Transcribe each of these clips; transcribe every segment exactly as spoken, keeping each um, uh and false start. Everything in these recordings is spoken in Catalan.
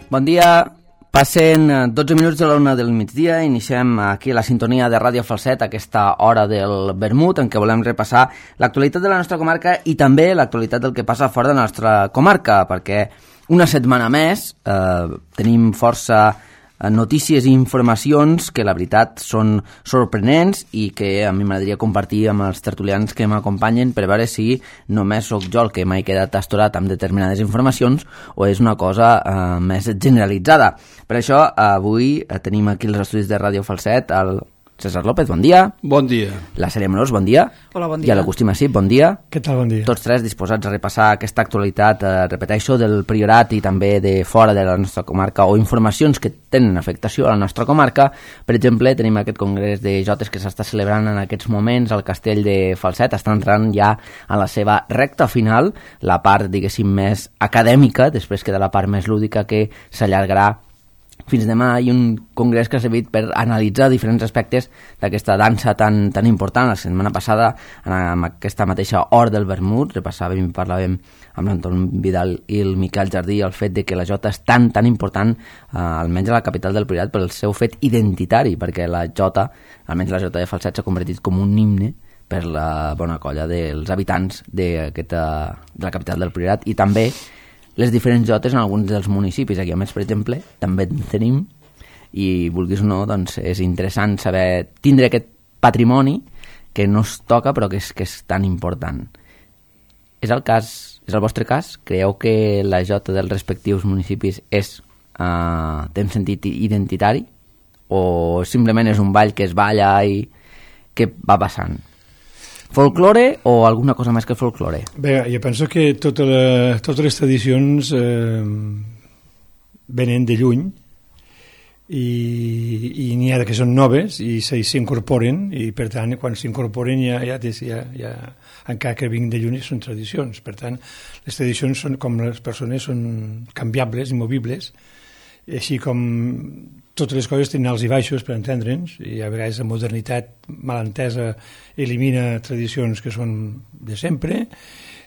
Bon dia, passen dotze minuts de la una del migdia, iniciem aquí la sintonia de Ràdio Falset, aquesta hora del vermut, en què volem repassar l'actualitat de la nostra comarca i també l'actualitat del que passa fora de la nostra comarca, perquè una setmana més eh, tenim força notícies i informacions que la veritat són sorprenents i que a mi m'agradaria compartir amb els tertulians que m'acompanyen per veure si només sóc jo el que m'he quedat astorat amb determinades informacions o és una cosa eh, més generalitzada. Per això avui tenim aquí els estudis de Ràdio Falset el César López, bon dia. Bon dia. La Sèrie Amorós, bon dia. Hola, bon dia. I l'Agustí Massip, bon dia. Què tal, bon dia. Tots tres disposats a repassar aquesta actualitat, eh, repeteixo, del Priorat i també de fora de la nostra comarca o informacions que tenen afectació a la nostra comarca. Per exemple, tenim aquest congrés de jotes que s'està celebrant en aquests moments al castell de Falset. Està entrant ja a la seva recta final, la part, diguéssim, més acadèmica, després queda la part més lúdica que s'allargarà fins demà. Hi ha un congrés que ha servit per analitzar diferents aspectes d'aquesta dansa tan, tan important. La setmana passada, en aquesta mateixa hora del vermut, repassàvem i parlàvem amb l'Anton Vidal i el Miquel Jardí el fet de que la jota és tan, tan important, eh, almenys a la capital del Priorat, pel seu fet identitari, perquè la jota, almenys la jota de Falset, s'ha convertit com un himne per la bona colla dels habitants de la capital del Priorat i també les diferents jotes en alguns dels municipis. Aquí a més, per exemple, també en tenim i, vulguis o no, doncs és interessant saber tindre aquest patrimoni que no es toca però que és, que és tan important. És el cas, és el vostre cas? Creieu que la jota dels respectius municipis és, uh, té un sentit identitari o simplement és un ball que es balla i que va passant? Folklore o alguna cosa més que folklore? Bé, jo penso que tota la, totes les tradicions eh, venen de lluny i, i n'hi ha que són noves i s'incorporen i per tant quan s'incorporen ja, ja, ja, ja, encara que vinguin de lluny són tradicions. Per tant, les tradicions són com les persones són canviables, immovibles, així com totes les coses tenen alts i baixos per entendre'ns i a vegades la modernitat mal entesa elimina tradicions que són de sempre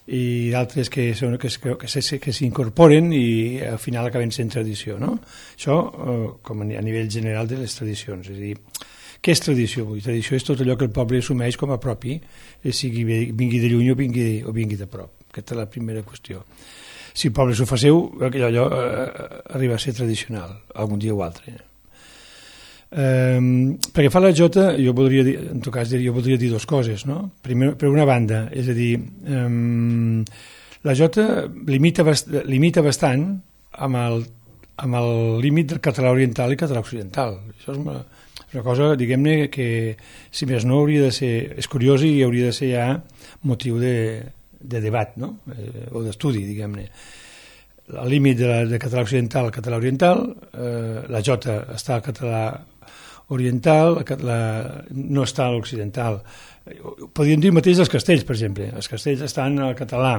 i d'altres que, són, que, que, que, que s'incorporen i al final acaben sent tradició, no? Això eh, com a nivell general de les tradicions. És a dir, què és tradició? Vull dir, tradició és tot allò que el poble assumeix com a propi, sigui vingui de lluny o vingui, o vingui de prop. Aquesta és la primera qüestió. Si el poble s'ho faceu, allò, allò eh, arriba a ser tradicional, algun dia o altre. Um, perquè fa la jota, jo voldria dir, en tot cas jo voldria dir dues coses, no? Primer, per una banda, és a dir, um, la jota limita, bast limita bastant amb el, amb el límit del català oriental i català occidental. Això és una, una cosa, diguem-ne, que si més no hauria de ser, és curiós i hauria de ser ja motiu de, de debat, no? Eh, o d'estudi, diguem-ne. El límit de, la, de català occidental al català oriental, eh, la jota està al català oriental, la, no està a l'occidental. Podríem dir mateix dels castells, per exemple. Els castells estan al català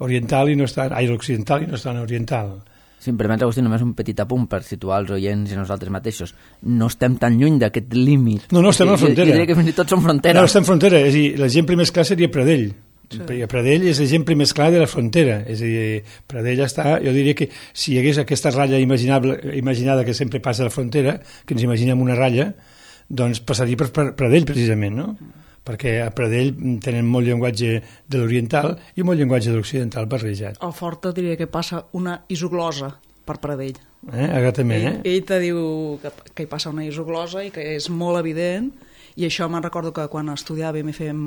oriental i no estan, ai, l'occidental i no estan a oriental. Si em permets, Agustí, només un petit apunt per situar els oients i nosaltres mateixos. No estem tan lluny d'aquest límit. No, no, estem a la frontera. Jo diria que fins i tot som frontera. No, estem frontera. És a dir, l'exemple més clar seria Pradell. Sí. Pradell és l'exemple més clar de la frontera. És a dir, Pradell està... Jo diria que si hi hagués aquesta ratlla imaginable, imaginada que sempre passa a la frontera, que ens imaginem una ratlla, doncs passaria per Pradell, precisament, no? Perquè a Pradell tenen molt llenguatge de l'oriental i molt llenguatge de l'occidental barrejat. Al Forta diria que passa una isoglosa per Pradell. Eh? Exactament, eh? Ell, ell te diu que, que hi passa una isoglosa i que és molt evident, i això me'n recordo que quan estudiàvem i fèiem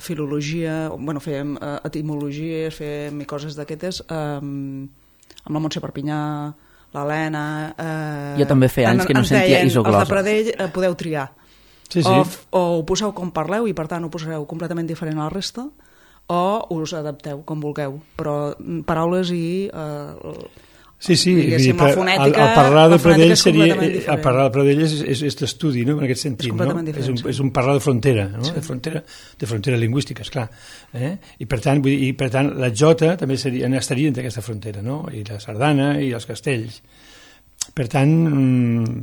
filologia, bueno, fèiem uh, etimologies, fèiem coses d'aquestes, um, amb la Montse Perpinyà, l'Helena... Uh, jo també feia anys que no sentia isoglosa. Els de Pradell uh, podeu triar. Sí, sí. O, o ho poseu com parleu i per tant ho posareu completament diferent a la resta, o us adapteu com vulgueu, però paraules i uh, sí, sí, diguéssim, la fonètica, el, el parlar de Pradell és seria, completament diferent. el parlar de Pradell és, és, és d'estudi, no? En aquest sentit, és no? diferent, És un, sí. és un parlar de frontera, no? Sí. De frontera, de frontera lingüística, esclar. Eh? I per tant, vull dir, i per tant la jota també seria, estaria entre aquesta frontera, no? I la sardana i els castells. per tant,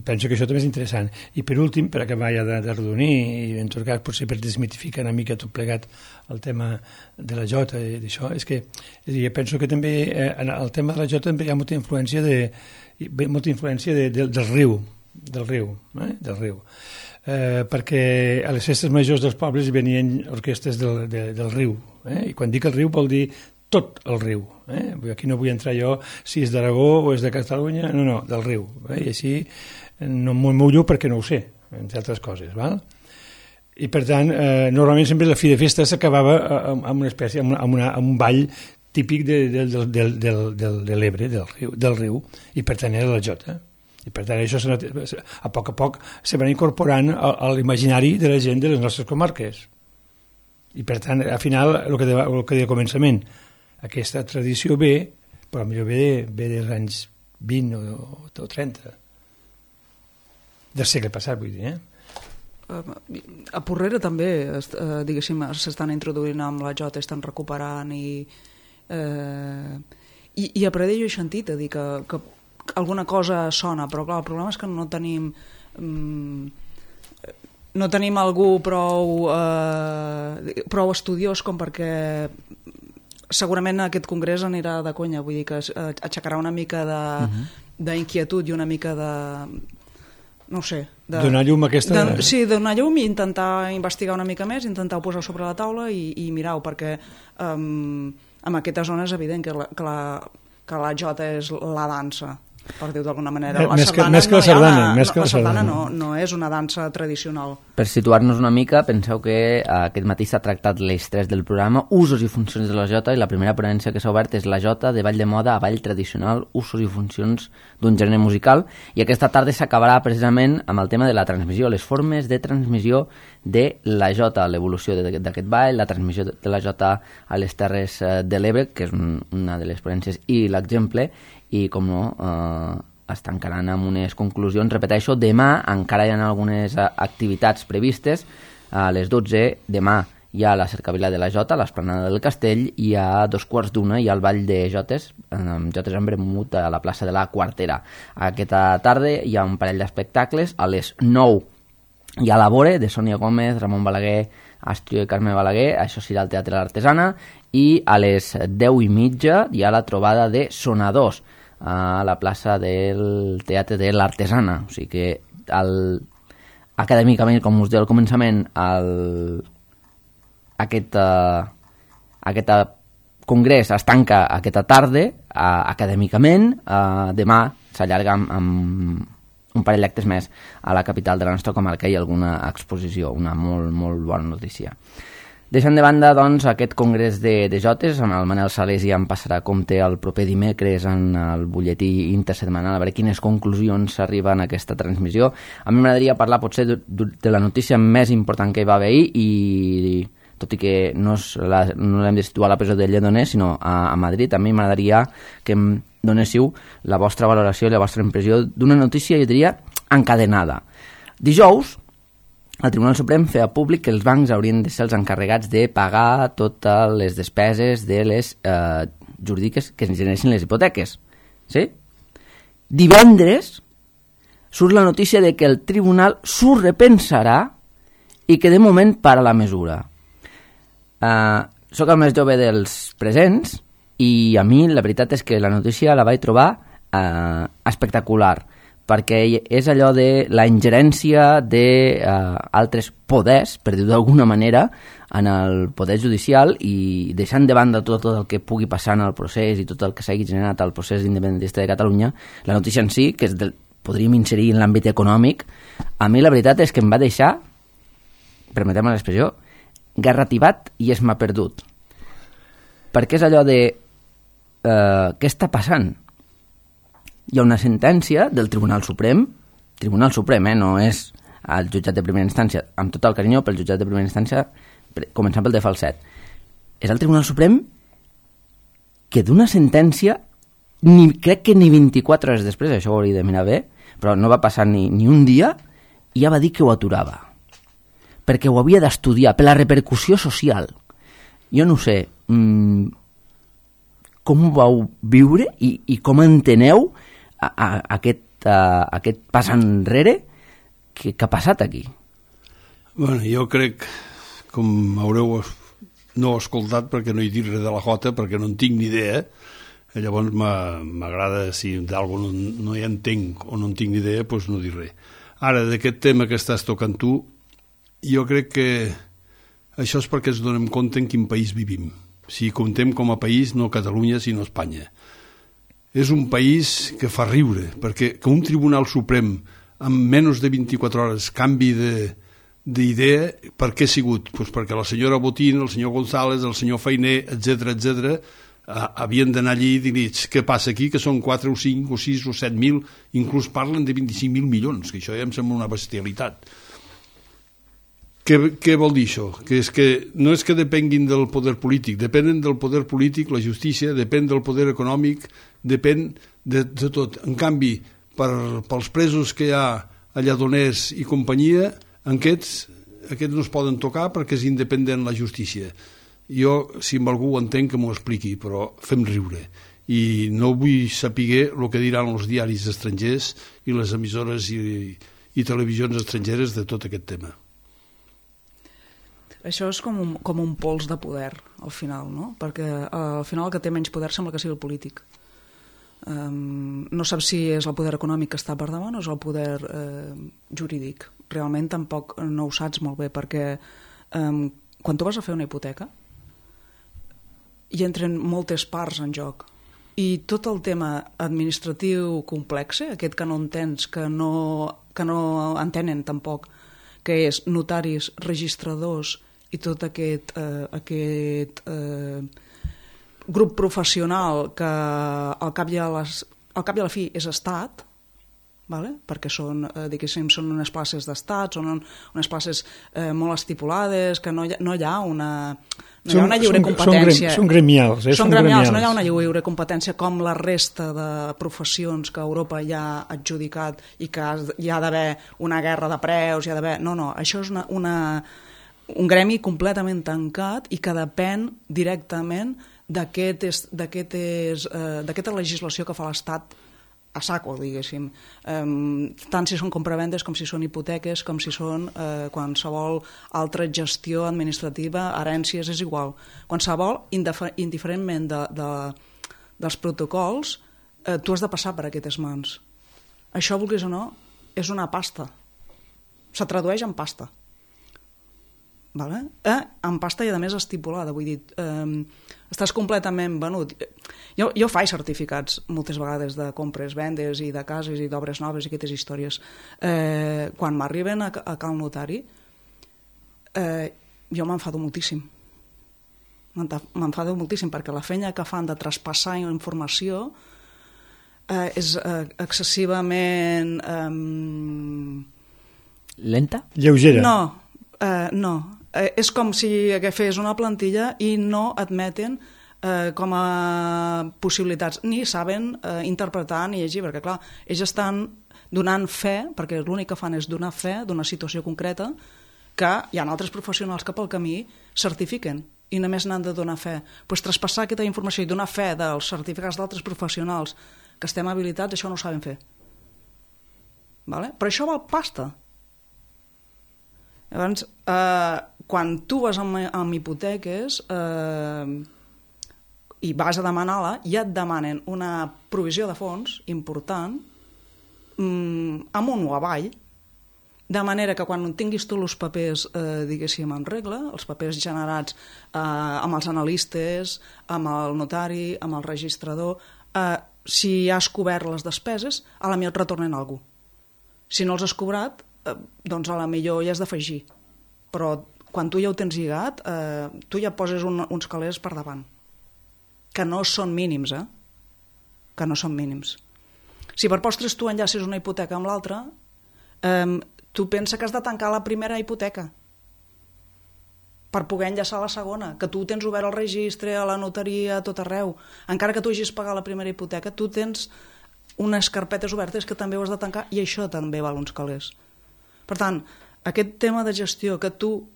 penso que això també és interessant. I per últim, per acabar ja de, de redonir, i en tot cas potser per desmitificar una mica tot plegat el tema de la jota i d'això, és que és dir, penso que també eh, en el tema de la jota també hi ha molta influència de, molta influència de, de, del riu, del riu, eh? del riu. Eh, perquè a les festes majors dels pobles venien orquestres del, de, del riu, eh? I quan dic el riu vol dir tot el riu, eh? Aquí no vull entrar jo si és d'Aragó o és de Catalunya, no, no, del riu, eh? I així no m'ho mullo perquè no ho sé, entre altres coses, val? I per tant, eh, normalment sempre la fi de festa s'acabava amb, amb una espècie, amb, amb, una, amb un ball típic de, de, de, de, de, de, de l'Ebre, del riu, del riu, i per tant era la jota. I per tant això a poc a poc se van incorporant a, a l'imaginari de la gent de les nostres comarques. I per tant, al final, el que deia, el que deia començament, aquesta tradició ve, però potser ve, ve dels anys vint o, o trenta, del segle passat, vull dir, eh? A Porrera també, eh, diguéssim, s'estan introduint amb la jota, estan recuperant i, eh, i, i a Pradell jo he sentit a dir que, que alguna cosa sona, però clar, el problema és que no tenim mm, no tenim algú prou eh, prou estudiós com perquè segurament aquest congrés anirà de conya, vull dir que aixecarà una mica d'inquietud uh-huh. i una mica de no sé... De, donar llum a aquesta... De, sí, donar llum i intentar investigar una mica més, intentar posar sobre la taula i, i mirar-ho, perquè um, en aquesta zona és evident que la, que la, que la jota és la dansa, per dir-ho d'alguna manera. La més, que, més que la sardana. No, més que la la sardana sardana no, no és una dansa tradicional. Per situar-nos una mica, penseu que aquest matí s'ha tractat l'eix tres del programa, usos i funcions de la jota, i la primera ponència que s'ha obert és la jota de ball de moda a ball tradicional, usos i funcions d'un gènere musical, i aquesta tarda s'acabarà precisament amb el tema de la transmissió, les formes de transmissió de la jota, l'evolució d'aquest ball, la transmissió de la jota a les Terres de l'Ebre, que és un, una de les ponències, i l'exemple, i com no, eh, es tancaran amb unes conclusions. Repeteixo, demà encara hi ha algunes activitats previstes. A les dotze, demà hi ha la cercavila de la jota, a l'esplanada del Castell, i a dos quarts d'una hi ha el ball de jotes, amb jotes en vermut a la plaça de la Quartera. Aquesta tarda hi ha un parell d'espectacles. A les nou hi ha l'Abore, de Sònia Gómez, Ramon Balaguer, Astrio i Carme Balaguer, això serà al Teatre l'Artesana, i a les deu i mitja hi ha la trobada de sonadors a la plaça del Teatre de l'Artesana. O sigui que el, acadèmicament, com us deia al començament, el, aquest, uh, aquest uh, congrés es tanca aquesta tarda, uh, acadèmicament, uh, demà s'allarga amb, amb un parell d'actes més a la capital de la nostra comarca i alguna exposició, una molt, molt bona notícia. Deixant de banda, doncs, aquest congrés de, de jotes, amb el Manel Sales ja em passarà a compte el proper dimecres en el butlletí intersetmanal, a veure quines conclusions s'arriben a aquesta transmissió. A mi m'agradaria parlar potser de, de la notícia més important que hi va haver ahir, i tot i que no, és la, no l'hem de situar a la presó de Lledoners, sinó a, a Madrid, a mi m'agradaria que em donéssiu la vostra valoració i la vostra impressió d'una notícia, jo diria, encadenada. Dijous, el Tribunal Suprem feia públic que els bancs haurien de ser els encarregats de pagar totes les despeses de les eh, jurídiques que es generessin les hipoteques. Sí? Divendres surt la notícia de que el tribunal s'ho repensarà i que de moment para la mesura. Eh, soc el més jove dels presents i a mi la veritat és que la notícia la vaig trobar eh, espectacular, perquè és allò de la ingerència d'altres eh, poders, per dir-ho d'alguna manera, en el poder judicial, i deixant de banda tot, tot el que pugui passar en el procés i tot el que s'hagi generat al procés independentista de Catalunya, la notícia en si, que és del, podríem inserir en l'àmbit econòmic, a mi la veritat és que em va deixar, permeteu-me l'expressió, garrativat i es m'ha perdut. Perquè és allò de eh, què està passant? Hi ha una sentència del Tribunal Suprem, Tribunal Suprem, eh, no és el jutjat de primera instància, amb tot el carinyo pel jutjat de primera instància, començant pel de Falset. És el Tribunal Suprem que d'una sentència, ni, crec que ni vint-i-quatre hores després, això ho hauria de mirar bé, però no va passar ni, ni un dia, i ja va dir que ho aturava. Perquè ho havia d'estudiar, per la repercussió social. Jo no sé mmm, com ho vau viure i, i com enteneu a, a, aquest, uh, aquest pas enrere. Què, què ha passat aquí? Bueno, jo crec, com haureu no escoltat perquè no he dit res de la Jota, perquè no en tinc ni idea, llavors m'agrada, si d'alguna no, no hi entenc o no en tinc ni idea, doncs no dir res. Ara, d'aquest tema que estàs tocant tu, jo crec que això és perquè ens donem compte en quin país vivim. Si comptem com a país, no Catalunya, sinó Espanya. És un país que fa riure, perquè que un Tribunal Suprem en menys de vint-i-quatre hores canvi d'idea, per què ha sigut? Pues perquè la senyora Botín, el senyor González, el senyor Fainé, etcètera, etcètera, havien d'anar allí i dir, què passa aquí, que són quatre o cinc o sis o set mil, inclús parlen de vint-i-cinc mil milions, que això ja em sembla una bestialitat. Què, què vol dir això? Que és que no és que depenguin del poder polític, depenen del poder polític, la justícia, depèn del poder econòmic, depèn de, de tot. En canvi, per, pels presos que hi ha a Lledoners i companyia, aquests, aquests no es poden tocar perquè és independent la justícia. Jo, si amb algú ho entenc, que m'ho expliqui, però fem riure. I no vull saber el que diran els diaris estrangers i les emissores i, i televisions estrangeres de tot aquest tema. Això és com un, com un pols de poder, al final, no? Perquè al final el que té menys poder sembla que sigui el polític. Um, no saps si és el poder econòmic que està per davant o és el poder uh, jurídic. Realment tampoc no ho saps molt bé, perquè um, quan tu vas a fer una hipoteca hi entren moltes parts en joc i tot el tema administratiu complex, aquest que no entens, que no, que no entenen tampoc, que és notaris, registradors i tot aquest, uh, aquest uh, grup professional que al cap i a, les, al cap i a la fi és estat, vale? Perquè són, eh, diguéssim, són unes places d'estat, són un, unes places eh, molt estipulades, que no hi ha, no hi ha una, no hi ha una lliure són, competència. Són, són gremials. Eh? Són, són gremials, gremials, no hi ha una lliure competència com la resta de professions que Europa ja ha adjudicat i que hi ha d'haver una guerra de preus, hi ha d'haver... No, no, això és una, una, un gremi completament tancat i que depèn directament d'aquest d'aquesta legislació que fa l'Estat a saco, diguéssim. Um, tant si són compravendes com si són hipoteques, com si són uh, qualsevol altra gestió administrativa, herències, és igual. Qualsevol, indiferentment de, de, dels protocols, uh, tu has de passar per aquestes mans. Això, vulguis o no, és una pasta. Se tradueix en pasta. Vale? Eh? En pasta i a més estipulada, vull dir, eh, estàs completament venut. Jo, jo faig certificats moltes vegades de compres, vendes i de cases i d'obres noves i aquestes històries. Eh, quan m'arriben a, a cal notari, eh, jo m'enfado moltíssim. M'enfado moltíssim perquè la feina que fan de traspassar informació eh, és eh, excessivament... Eh, Lenta? Lleugera? No, eh, no. Eh, és com si agafés una plantilla i no admeten eh, com a possibilitats, ni saben eh, interpretar ni llegir, perquè clar, ells estan donant fe, perquè l'únic que fan és donar fe d'una situació concreta, que hi ha altres professionals que pel camí certifiquen i només n'han de donar fe. Pues traspassar aquesta informació i donar fe dels certificats d'altres professionals que estem habilitats, això no ho saben fer. Vale? Però això val pasta. Llavors, eh, quan tu vas amb, amb hipoteques eh, i vas a demanar-la, ja et demanen una provisió de fons important mm, amunt o avall, de manera que quan tinguis tu els papers, eh, diguéssim, en regla, els papers generats eh, amb els analistes, amb el notari, amb el registrador, eh, si has cobert les despeses, a la millor et retornen alguna cosa. Si no els has cobrat, eh, doncs a la millor hi has d'afegir. Però quan tu ja ho tens lligat, eh, tu ja poses un, uns calés per davant, que no són mínims, eh? Que no són mínims. Si per postres tu enllaces una hipoteca amb l'altra, eh, tu pensa que has de tancar la primera hipoteca per poder enllaçar la segona, que tu tens obert el registre, a la notaria, a tot arreu. Encara que tu hagis pagat la primera hipoteca, tu tens unes carpetes obertes que també ho has de tancar i això també val uns calés. Per tant, aquest tema de gestió que tu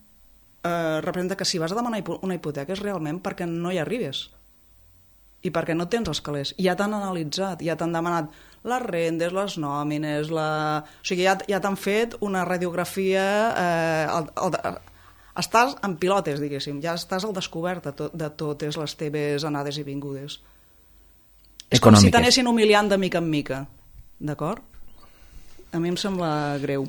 eh, representa que si vas a demanar una hipoteca és realment perquè no hi arribes i perquè no tens els calés. Ja t'han analitzat, ja t'han demanat les rendes, les nòmines, la... o sigui, ja, ja t'han fet una radiografia, eh, el, el, estàs en pilotes, diguéssim, ja estàs al descobert de, to, de totes les teves anades i vingudes. És com si t'anessin humiliant de mica en mica, d'acord? A mi em sembla greu.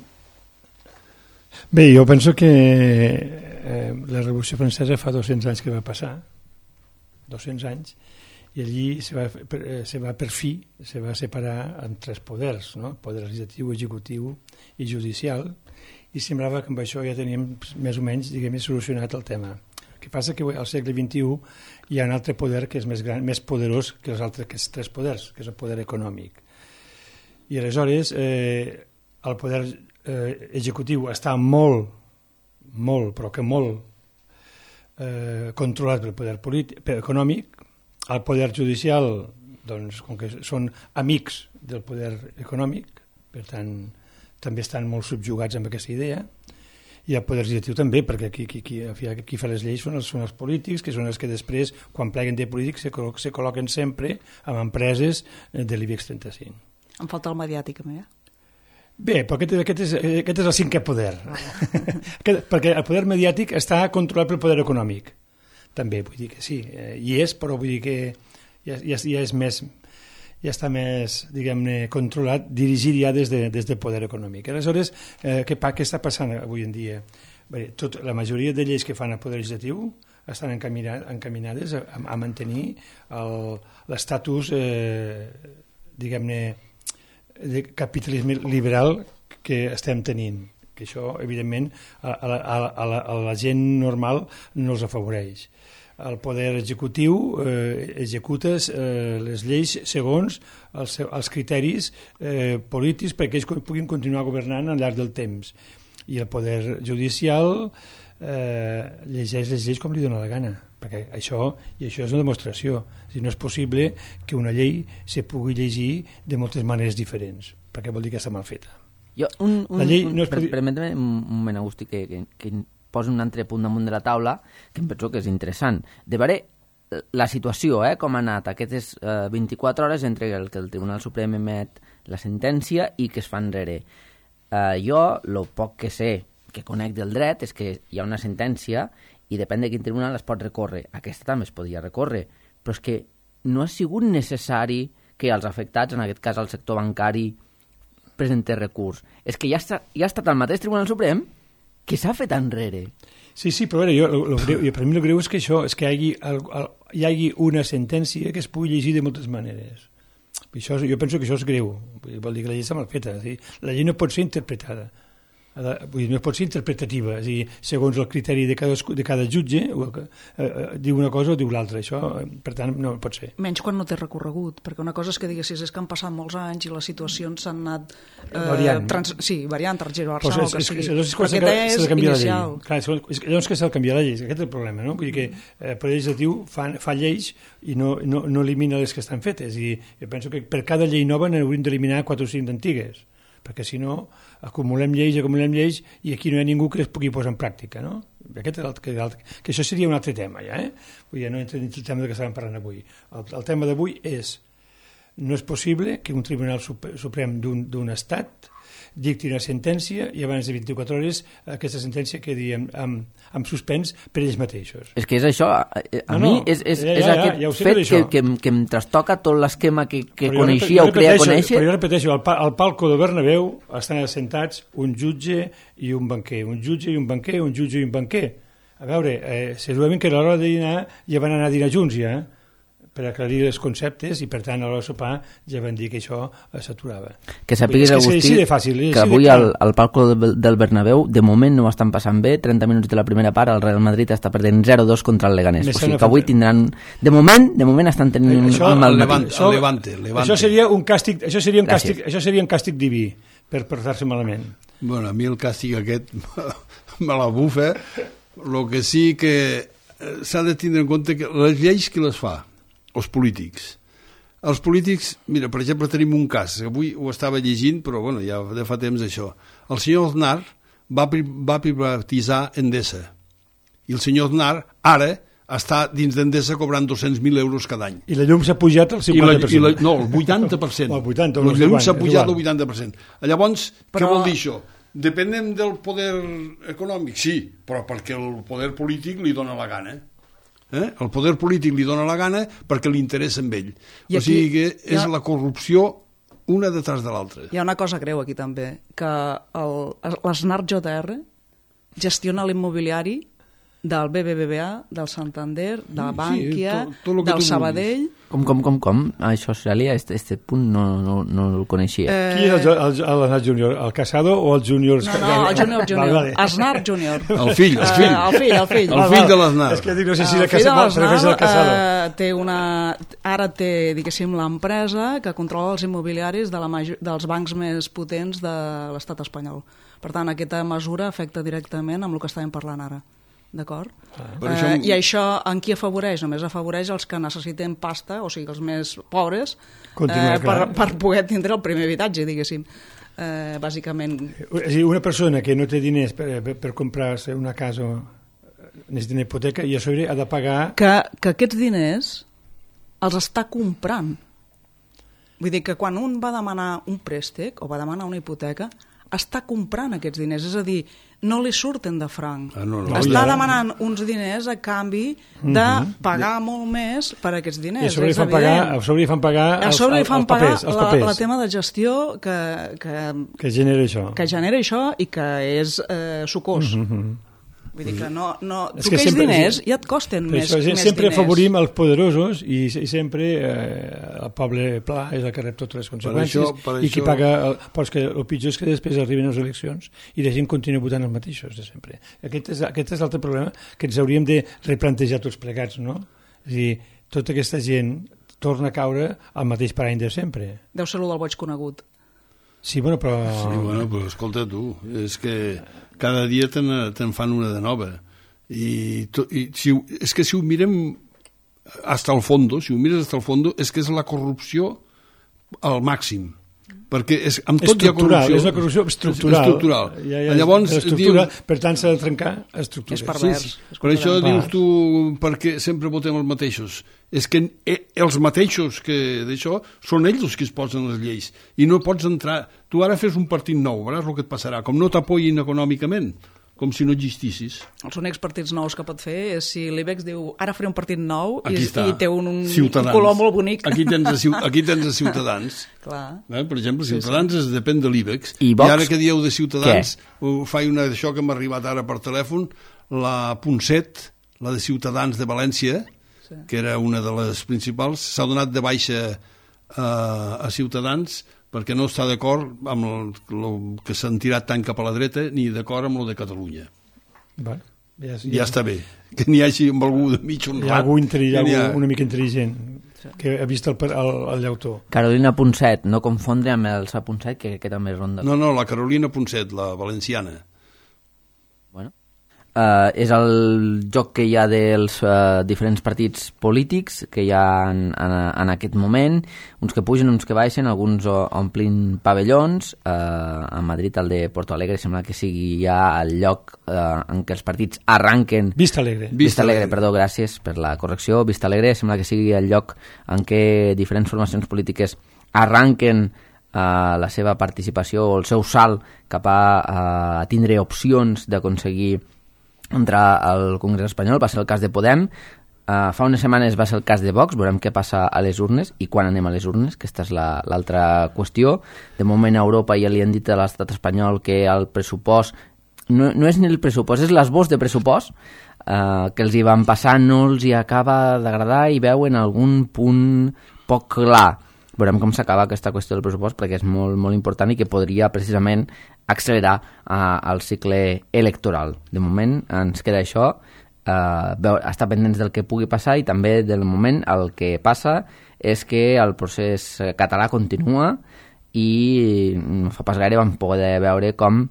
Bé, jo penso que eh, la Revolució Francesa fa dos-cents anys que va passar, dos-cents anys, i allí se va, se va per fi se va separar en tres poders, no? Poder legislatiu, executiu i judicial, i semblava que amb això ja teníem més o menys, diguem, solucionat el tema. El que passa que al segle vint-i-u hi ha un altre poder que és més gran, més poderós que els altres que els tres poders, que és el poder econòmic. I aleshores eh, el poder eh, executiu està molt, molt, però que molt eh, controlat pel poder polític, per econòmic. El poder judicial, doncs, com que són amics del poder econòmic, per tant, també estan molt subjugats amb aquesta idea, i el poder legislatiu també, perquè qui, qui, qui, qui fa les lleis són els, són els polítics, que són els que després, quan pleguen de polítics, se, col·loquen, se col·loquen sempre amb empreses de l'IBEX trenta-cinc. Em falta el mediàtic, a mi, eh? Bé, però aquest, aquest, és, aquest és el cinquè poder. aquest, perquè el poder mediàtic està controlat pel poder econòmic. També, vull dir que sí, eh, hi és, però vull dir que ja, ja, ja és més, ja està més, diguem-ne, controlat, dirigit ja des, de, des del poder econòmic. Aleshores, eh, què, què està passant avui en dia? Bé, tot, la majoria de lleis que fan el poder legislatiu estan encaminades a, a mantenir l'estatus, eh, diguem-ne, de capitalisme liberal que estem tenint, que això, evidentment, a, a, a, a, la, a la gent normal no els afavoreix. El poder executiu eh, executa eh, les lleis segons els, els criteris eh, polítics perquè ells puguin continuar governant al llarg del temps. I el poder judicial eh, llegeix les lleis com li dóna la gana, perquè això, i això és una demostració. O sigui, no és possible que una llei se pugui llegir de moltes maneres diferents, perquè vol dir que està mal feta. Jo, un, un, la llei no es per, podi... Permetem un moment, Agustí, que, que, que posi un altre punt damunt de la taula, que em penso que és interessant. De veure la situació, eh, com ha anat aquestes eh, vint-i-quatre hores entre el que el Tribunal Suprem emet la sentència i que es fa enrere. Eh, jo, el poc que sé, que conec del dret, és que hi ha una sentència i depèn de quin tribunal es pot recórrer. Aquesta també es podia recórrer, però és que no ha sigut necessari que els afectats, en aquest cas el sector bancari, presentés recurs. És que ja, està, ja ha estat el mateix Tribunal Suprem que s'ha fet enrere. Sí, sí, però veure, jo, lo, lo greu, per mi el greu és que això, és que hi hagi, el, el, hi hagi una sentència que es pugui llegir de moltes maneres. Això, jo penso que això és greu, vol dir que la llei està mal feta, és dir, la llei no pot ser interpretada. Vull dir, no pot ser interpretativa, és a dir, segons el criteri de cada, de cada jutge, eh, eh, diu una cosa o diu l'altra, això, per tant, no pot ser. Menys quan no té recorregut, perquè una cosa és que diguessis és que han passat molts anys i les situacions s'han anat eh, variant. Trans, sí, variant, transgersant, el que sigui. És, és, però aquesta és inicial. Clar, llavors que s'ha de canviar la llei, aquest és el problema, no? Vull dir que el Poder Legislatiu fa, fa lleis i no, no, no elimina les que estan fetes, i jo penso que per cada llei nova n'hauríem d'eliminar quatre o cinc d'antigues, perquè si no acumulem lleis, acumulem lleis i aquí no hi ha ningú que les pugui posar en pràctica, no? Aquest és el, que, el, que això seria un altre tema, ja, eh? Vull dir, no entra dins el tema que estàvem parlant avui. El, el tema d'avui és, no és possible que un tribunal suprem d'un estat dicti una sentència i abans de vint-i-quatre hores aquesta sentència quedi amb, amb, amb suspens per ells mateixos. És que és això, a, a no, mi és, és, ja, ja, és aquest ja, ja fet que, que, que em trastoca tot l'esquema que, que coneixia o creia conèixer. Però jo repeteixo, al, al palco de Bernabéu estan assentats un jutge i un banquer, un jutge i un banquer, un jutge i un banquer. A veure, eh, segurament que a l'hora de dinar ja van anar a dinar junts ja, per aclarir els conceptes i per tant a l'hora de sopar ja van dir que això s'aturava. Que sàpigues, Agustí, fàcil, que avui al, al palco del Bernabéu de moment no ho estan passant bé, trenta minuts de la primera part el Real Madrid està perdent zero dos contra el Leganés, o sigui que avui tindran de moment, de moment estan tenint això, un mal Levante, això, Levante, Levante. Això seria un càstig, això seria un càstig, això seria un càstig diví per portar-se malament. Bueno, a mi el càstig aquest me la bufa. El que sí que s'ha de tindre en compte que les lleis qui les fa? Els polítics. Els polítics, mira, per exemple, tenim un cas, avui ho estava llegint, però bueno, ja de fa temps això. El senyor Aznar va, va privatitzar Endesa. I el senyor Aznar ara està dins d'Endesa cobrant dos-cents mil euros cada any. I la llum s'ha pujat al cinquanta per cent. I la, i la, no, el vuitanta per cent. El vuitanta, la llum s'ha pujat igual. al vuitanta per cent. Llavors, però... què vol dir això? Depenem del poder econòmic? Sí, però perquè el poder polític li dona la gana. Eh? El poder polític li dona la gana perquè li interessa amb ell. I o sigui que és ha... la corrupció una detrás de l'altra. Hi ha una cosa greu aquí també, que l'Snart J R gestiona l'immobiliari del B B V A, del Santander, de la Bankia, sí, tot, tot del Sabadell... Com, com, com, com? Això, Celia, este, este punt no, no, no el coneixia. Eh... Qui és l'Snart Júnior? El Casado o el Júnior? No, no, el Júnior Júnior. Snart Júnior. El fill, el fill. Uh, el fill, el fill. El fill de l'Snart. És que dic, no sé si el fill de l'Snart uh, té una... Ara té, diguéssim, l'empresa que controla els immobiliaris de la major... dels bancs més potents de l'estat espanyol. Per tant, aquesta mesura afecta directament amb el que estàvem parlant ara. D'acord? Ah, uh, això... I això en qui afavoreix? Només afavoreix els que necessiten pasta, o sigui, els més pobres, eh, per, per poder tindre el primer habitatge, diguéssim. Eh, bàsicament... És a dir, una persona que no té diners per, per, per comprar-se una casa, necessita una hipoteca, i a sobre ha de pagar... Que, que aquests diners els està comprant. Vull dir que quan un va demanar un préstec o va demanar una hipoteca, està comprant aquests diners, és a dir, no li surten de franc. Ah, no, no. Està demanant uns diners a canvi de pagar uh-huh. molt més per aquests diners. I a sobre li fan pagar, a sobre li fan pagar, els, els, fan els pagar papers. Els papers. La, la tema de gestió que, que, que genera això. Que genera això i que és eh, sucós. Uh-huh. Vull dir que no, no, tu que aquells diners ja et costen més, això, més sempre diners. Afavorim els poderosos i, i sempre eh, el poble pla és el que rep totes les conseqüències per això, per i qui això... paga... El, però que el pitjor és que després arriben les eleccions i la gent continua votant els mateixos de sempre. Aquest és, aquest és l'altre problema que ens hauríem de replantejar tots plegats, no? És a dir, tota aquesta gent torna a caure al mateix parany de sempre. Deu ser el del boig conegut. Sí, bueno, però... Sí, bueno, però escolta tu, és que cada dia te'n te fan una de nova. I, to, i si, és que si ho mirem hasta el fondo, si ho mires hasta el fondo, és que és la corrupció al màxim. Perquè és, amb tot hi ha corrupció. És una corrupció estructural. estructural. Ja, ja, Llavors, dius, per tant, s'ha de trencar estructures. És pervers. Sí, sí. Per això dius tu, perquè sempre votem els mateixos. És que els mateixos que d'això són ells els que es posen les lleis. I no pots entrar... Tu ara fes un partit nou, veuràs el que et passarà. Com no t'apoyin econòmicament, com si no existissis. Els únics partits nous que pot fer és si l'Ibex diu ara faré un partit nou i, i té un, un color molt bonic. Aquí tens a, aquí tens a Ciutadans. Clar. Eh? Per exemple, Ciutadans sí, sí. depèn de l'Ibex. I, I ara que dieu de Ciutadans, ho faig una d'això que m'ha arribat ara per telèfon, la Ponset, la de Ciutadans de València, sí. que era una de les principals, s'ha donat de baixa a, a Ciutadans perquè no està d'acord amb el, el que s'han tirat tant cap a la dreta ni d'acord amb el de Catalunya. Bueno, ja, ja, ja està bé. Que n'hi hagi amb algú de mig honrat. Hi ha algú, hi ha algú ha... una mica intel·ligent que ha vist el, el, el llautó. Carolina Ponset, no confondre amb el Sa Ponset, que, que també és ronda. No, no, la Carolina Ponset, la valenciana. Bueno. Uh, és el joc que hi ha dels uh, diferents partits polítics que hi ha en, en, en aquest moment, uns que pugen, uns que baixen, alguns omplin pavellons. Uh, a Madrid, el de Porto Alegre, sembla que sigui ja el lloc uh, en què els partits arranquen... Vista Alegre. Vista, Vista Alegre, Alegre, perdó, gràcies per la correcció. Vista Alegre sembla que sigui el lloc en què diferents formacions polítiques arranquen uh, la seva participació o el seu salt cap a, uh, a tindre opcions d'aconseguir entrar al Congrés espanyol. Va ser el cas de Podem, uh, fa unes setmanes va ser el cas de Vox, veurem què passa a les urnes i quan anem a les urnes, que aquesta és l'altra la, qüestió. De moment a Europa ja li han dit a l'estat espanyol que el pressupost, no, no és ni el pressupost, és l'esbós de pressupost uh, que els hi van passar, no els hi acaba d'agradar i veuen algun punt poc clar. Veurem com s'acaba aquesta qüestió del pressupost perquè és molt, molt important i que podria precisament accelerar uh, el cicle electoral. De moment ens queda això, uh, estar pendents del que pugui passar i també del moment el que passa és que el procés català continua i no fa pas gaire vam poder veure com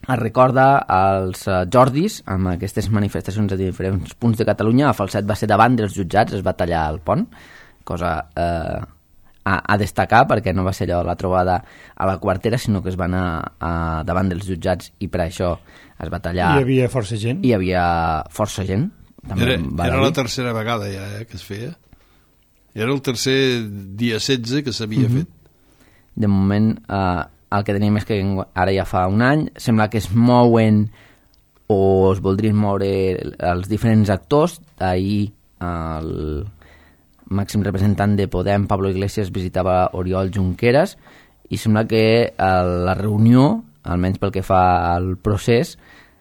es recorda als Jordis amb aquestes manifestacions a diferents punts de Catalunya. A Falset va ser davant dels jutjats, es va tallar el pont, cosa... Eh, A, a destacar perquè no va ser allò la trobada a la quartera, sinó que es va anar a, davant dels jutjats i per això es va tallar. Hi havia força gent. Hi havia força gent, també era, va era la tercera vegada ja eh, que es feia. Era el tercer dia setze que s'havia mm-hmm. fet. De moment, eh, el que tenim és que ara ja fa un any, sembla que es mouen o es voldrien moure els diferents actors. Ahir el màxim representant de Podem, Pablo Iglesias, visitava Oriol Junqueras i sembla que la reunió, almenys pel que fa al procés,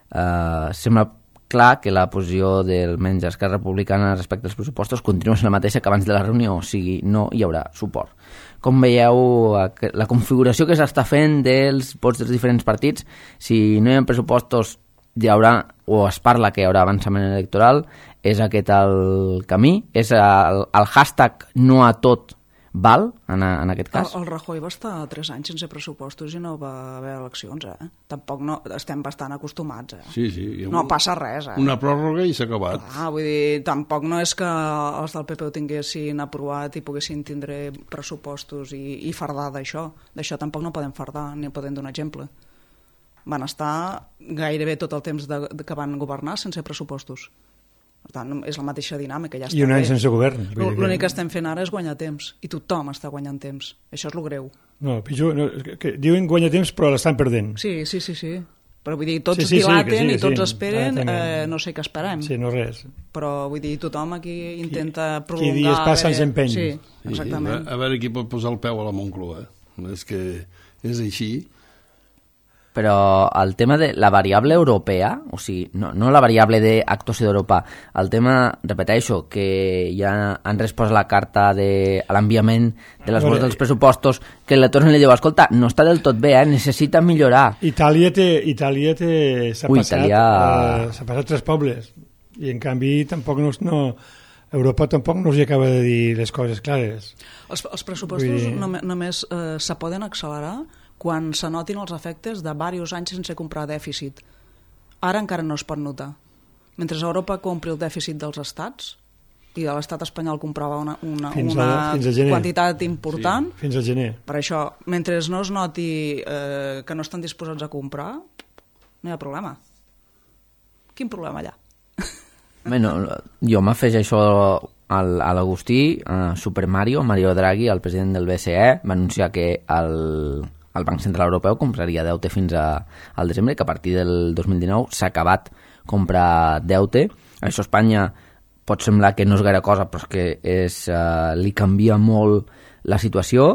eh, sembla clar que la posició del menys Esquerra Republicana respecte als pressupostos continua sent la mateixa que abans de la reunió, o sigui, no hi haurà suport. Com veieu la configuració que s'està fent dels vots dels diferents partits? Si no hi ha pressupostos hi haurà, o es parla que hi haurà avançament electoral, és aquest el camí? És el, el hashtag no a tot val, en, en aquest cas? El, el Rajoy va estar tres anys sense pressupostos i no va haver eleccions, eh? Tampoc no, estem bastant acostumats, eh? Sí, sí. No passa res, eh? Una pròrroga i s'ha acabat. Ah, vull dir, tampoc no és que els del P P ho tinguessin aprovat i poguessin tindre pressupostos i, i fardar d'això. D'això tampoc no podem fardar, ni podem donar exemple. Van estar gairebé tot el temps de, de que van governar sense pressupostos. Per tant, és la mateixa dinàmica. Ja I un any bé. Sense govern. L'únic que estem fent ara és guanyar temps, i tothom està guanyant temps. Això és el greu. No, pitjor, no, que diuen guanyar temps però l'estan perdent. Sí, sí, sí, sí. Però vull dir, tots sí, sí, dilaten sí, sí, i tots sí. esperen, ah, eh, no sé què esperem. Sí, no res. Però vull dir, tothom aquí intenta prolongar... Qui dies passa anys empeny. Sí, exactament. Sí, a veure qui pot posar el peu a la Moncloa. És que és així. Però el tema de la variable europea, o sigui, no, no la variable d'actuació d'Europa, el tema, repeteixo, que ja han respost la carta de, a l'enviament de les vots dels pressupostos, que la tornen i li diu, escolta, no està del tot bé, eh? Necessita millorar. Itàlia té, Itàlia té, s'ha Ui, passat, Itàlia... eh, s'ha passat tres pobles, i en canvi tampoc no, no, Europa tampoc no us hi acaba de dir les coses clares. Els, els pressupostos dir... només, només eh, se poden accelerar quan se notin els efectes de diversos anys sense comprar dèficit. Ara encara no es pot notar. Mentre Europa compri el dèficit dels estats, i de l'estat espanyol comprava una, una, fins una a, fins a quantitat important, sí, fins al gener. Per això, mentre no es noti eh, que no estan disposats a comprar, no hi ha problema. Quin problema allà? Bueno, jo m'afegeixo al, a l'Agustí, a Super Mario, Mario Draghi, el president del B C E, va anunciar que el... el Banc Central Europeu compraria deute fins a, al desembre, que a partir del dos mil dinou s'ha acabat comprar deute. Això a Espanya pot semblar que no és gaire cosa, però és que és, uh, li canvia molt la situació.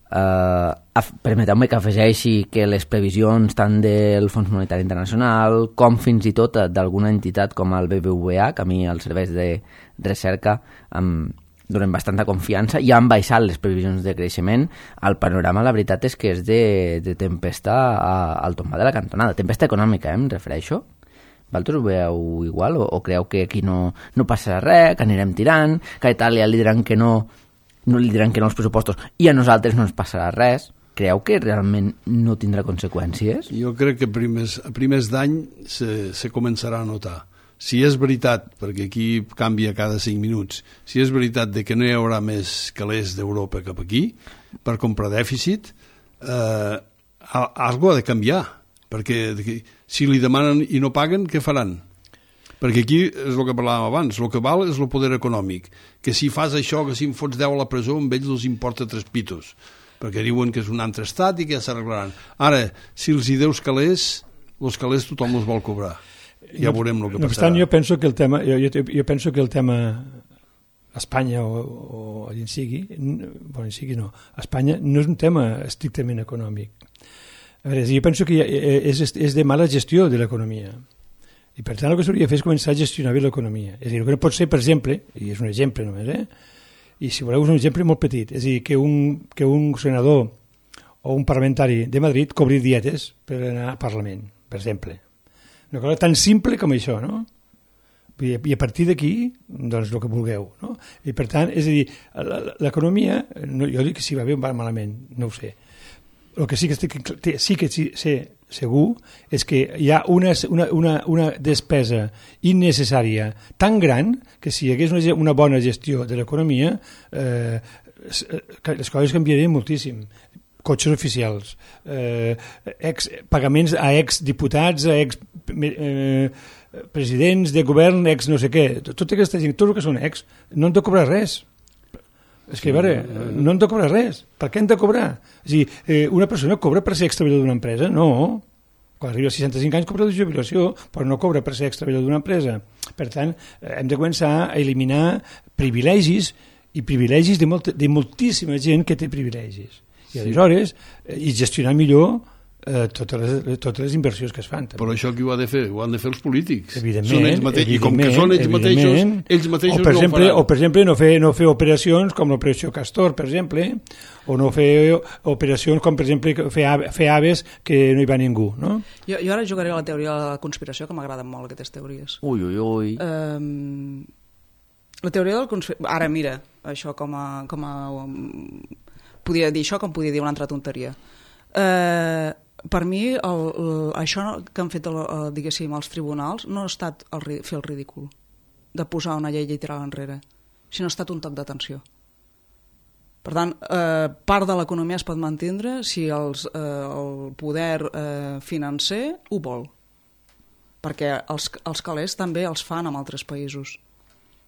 Uh, permeteu-me que afegeixi que les previsions tant del Fons Monetari Internacional com fins i tot d'alguna entitat com el B B V A, que a mi els serveis de recerca amb donen bastanta confiança, i han baixat les previsions de creixement. El panorama, la veritat, és que és de, de tempesta a, al tombar de la cantonada. Tempesta econòmica, eh, em refereixo. Vosaltres ho veieu igual? O, o creu que aquí no, no passarà res, que anirem tirant, que a Itàlia li diran que no, no li diran que no als pressupostos, i a nosaltres no ens passarà res? Creu que realment no tindrà conseqüències? Jo crec que primers, a primers d'any se, se començarà a notar. Si és veritat, perquè aquí canvia cada cinc minuts, si és veritat de que no hi haurà més calés d'Europa cap aquí per comprar dèficit, eh, algo ha de canviar, perquè si li demanen i no paguen, què faran? Perquè aquí és el que parlàvem abans, el que val és el poder econòmic, que si fas això, que si em fots deu a la presó, amb ells els importa tres pitos, perquè diuen que és un altre estat i que ja s'arreglaran. Ara, si els hi deus calés, els calés tothom els vol cobrar. Ja veurem el que no passarà. Obstant, jo penso que el tema, jo, jo, jo penso que el tema Espanya o, o allà en sigui, bueno, en sigui no, Espanya no és un tema estrictament econòmic. A veure, jo penso que és, és de mala gestió de l'economia. I per tant el que s'hauria de fer és començar a gestionar bé l'economia. És a dir, el que no pot ser, per exemple, i és un exemple només, eh? I si voleu és un exemple molt petit, és a dir, que un, que un senador o un parlamentari de Madrid cobri dietes per anar al Parlament, per exemple. Una cosa tan simple com això, no? I a partir d'aquí, doncs, el que vulgueu, no? I per tant, és a dir, l'economia, no, jo dic que si va bé o va malament, no ho sé. El que sí que, estic, sí que sé segur és que hi ha una, una, una, una despesa innecessària tan gran que si hi hagués una, una bona gestió de l'economia, eh, les coses canviarien moltíssim. cotxes oficials, eh, ex, pagaments a exdiputats, a ex eh, presidents de govern, ex no sé què, tota aquesta gent, tot el que són ex, no han de cobrar res. És que, a veure, no han de cobrar res. Per què han de cobrar? És a dir, eh, una persona cobra per ser extreballador d'una empresa? No. Quan arriba als seixanta-cinc anys cobra de jubilació, però no cobra per ser extreballador d'una empresa. Per tant, hem de començar a eliminar privilegis i privilegis de, molt, de moltíssima gent que té privilegis. I aleshores, eh, i gestionar millor eh, totes, les, totes les inversions que es fan. També. Però això qui ho ha de fer? Ho han de fer els polítics. Evidentment. Són ells mateixos. I com que són ells mateixos, ells mateixos o per no exemple, ho faran. O, per exemple, no fer, no fer operacions com l'operació Castor, per exemple, o no fer operacions com, per exemple, fer, fer aves que no hi va ningú, no? Jo, jo ara jugaré a la teoria de la conspiració, que m'agraden molt aquestes teories. Ui, ui, ui. Um, la teoria del conspiració... Ara, mira, això com a... Com a um, podia dir això com podia dir una altra tonteria. Eh... Uh, per mi el, el, això que han fet el, el, diguéssim, els tribunals no ha estat el, fer el ridícul de posar una llei i tirar-la enrere, sinó ha estat un toc d'atenció. Per tant, eh, part de l'economia es pot mantindre si els, eh, el poder eh, financer ho vol, perquè els, els calés també els fan en altres països.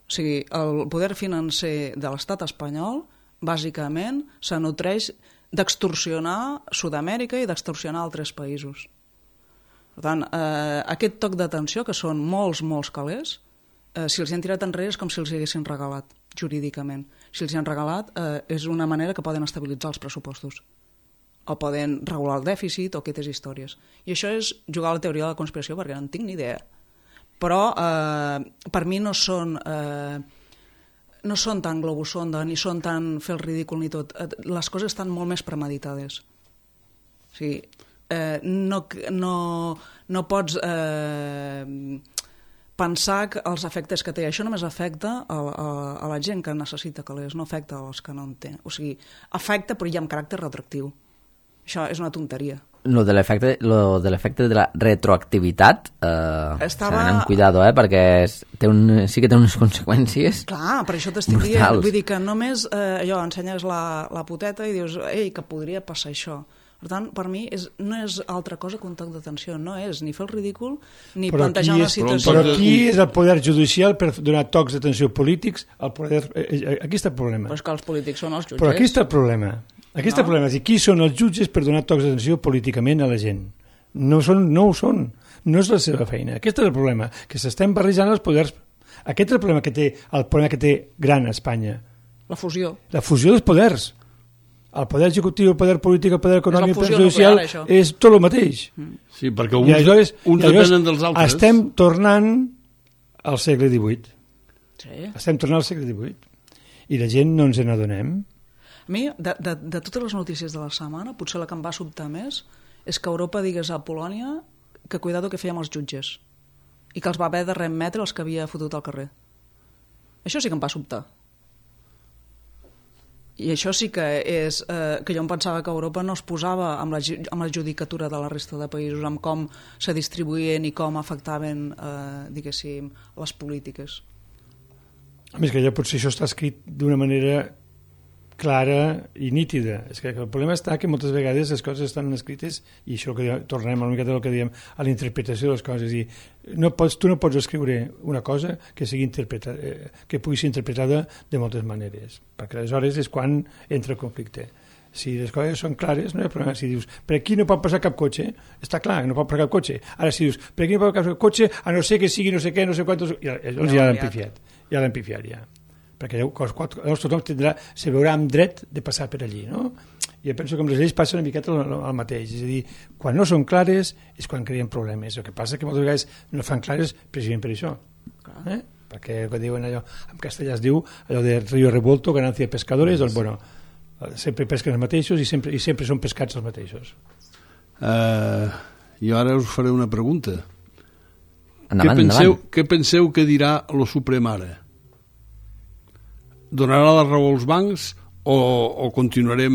O sigui, el poder financer de l'estat espanyol bàsicament se nutreix d'extorsionar Sud-amèrica i d'extorsionar altres països. Per tant, eh, aquest toc d'atenció, que són molts, molts calés, eh, si els han tirat enrere és com si els haguessin regalat, jurídicament. Si els han regalat, eh, és una manera que poden estabilitzar els pressupostos, o poden regular el dèficit, o aquestes històries. I això és jugar a la teoria de la conspiració, perquè no en tinc ni idea. Però, eh, per mi no són... Eh, no són tan globus sonda, ni són tan fer el ridícul ni tot. Les coses estan molt més premeditades. O sigui, eh, no, no, no pots eh, pensar que els efectes que té. Això només afecta a, a, a la gent que necessita calés, no afecta als que no en tenen. O sigui, afecta però ja amb caràcter retroactiu. Això és una tonteria. Lo de l'efecte lo de l'efecte de la retroactivitat eh, Estava... s'ha d'anar amb cuidado, eh, perquè és, té un, sí que té unes conseqüències. Clar, per això t'estic dient, vull dir que només eh, allò, ensenyes la, la poteta i dius, ei, que podria passar això. Per tant, per mi és, no és altra cosa que un toc d'atenció, no és ni fer el ridícul ni però plantejar una és, situació. Però qui és el poder judicial per donar tocs d'atenció polítics? El poder, eh, aquí està el problema. Però és que els polítics són els jutges. Però aquí està el problema. Aquest no. problema és dir, qui són els jutges per donar tocs d'atenció políticament a la gent? No, són, no ho són, no és la seva feina. Aquest és el problema, que s'estem barrejant els poders. Aquest és el problema que té, el problema que té gran a Espanya. La fusió. La fusió dels poders. El poder executiu, el poder polític, el poder econòmic, el poder social, social, és tot el mateix. Sí, perquè uns, aleshores, uns depenen dels altres. Estem tornant al segle divuit. Sí. Estem tornant al segle divuit. I la gent no ens n'adonem. A mi, de, de, de totes les notícies de la setmana, potser la que em va sobtar més és que Europa digués a Polònia que cuidado que fèiem els jutges i que els va haver de remetre els que havia fotut al carrer. Això sí que em va sobtar. I això sí que és... Eh, que jo em pensava que Europa no es posava amb la, amb la judicatura de la resta de països, amb com se distribuïen i com afectaven, eh, diguéssim, les polítiques. A més que ja potser això està escrit d'una manera clara i nítida. És que el problema està que moltes vegades les coses estan escrites i això que diem, tornem una miqueta al que diem a la interpretació de les coses. I no pots, tu no pots escriure una cosa que sigui interpretada, eh, que pugui ser interpretada de moltes maneres, perquè aleshores és quan entra el conflicte. Si les coses són clares, no hi ha problema. Si dius, per aquí no pot passar cap cotxe, està clar, no pot passar cap cotxe. Ara si dius, per aquí no pot passar cap cotxe, a no ser que sigui no sé què, no sé quantos... Ja, llavors ja l'hem pifiat. Ja l'hem pifiat, ja. Perquè llavors tothom tindrà, se veurà amb dret de passar per allí, no? I jo penso que amb les lleis passa una miqueta el mateix, és a dir, quan no són clares és quan creen problemes, el que passa que moltes vegades no fan clares precisament per això, eh? Perquè el que diuen allò, en castellà es diu allò de río revuelto, ganancia de pescadores, doncs bueno, sempre pesquen els mateixos i sempre, i sempre són pescats els mateixos. Uh, jo ara us faré una pregunta. Endavant, què, penseu, endavant. què penseu que dirà lo Suprem ara? Donarà la raó als bancs o, o continuarem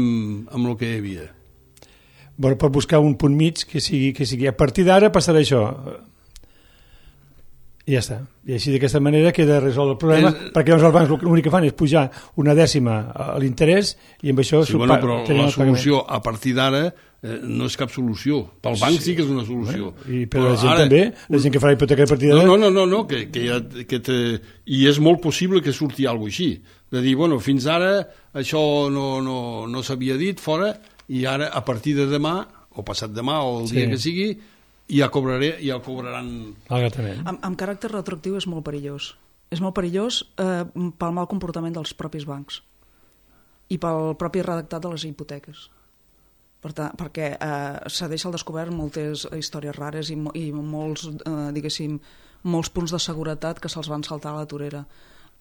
amb el que hi havia? Bueno, pot buscar un punt mig que sigui, que sigui. A partir d'ara passarà això. I ja està. I així d'aquesta manera queda resolt el problema, és... perquè llavors els bancs l'únic que fan és pujar una dècima a l'interès i amb això... Sí, bueno, però la solució a partir d'ara eh, no és cap solució. Pel banc sí, sí que és una solució. Bueno, I per però la gent ara... també, la gent que farà hipoteca a partir d'ara... No, no, no, no que, que, ja, que te... i és molt possible que surti alguna cosa així. De dir, bueno, fins ara això no, no, no s'havia dit fora i ara a partir de demà, o passat demà, o el sí. dia que sigui, ja cobraré, ja cobraran... Amb, amb caràcter retroactiu és molt perillós. És molt perillós eh, pel mal comportament dels propis bancs i pel propi redactat de les hipoteques. Per tant, perquè eh, s'ha deixat al descobert moltes històries rares i, i molts, eh, diguéssim, molts punts de seguretat que se'ls van saltar a la torera.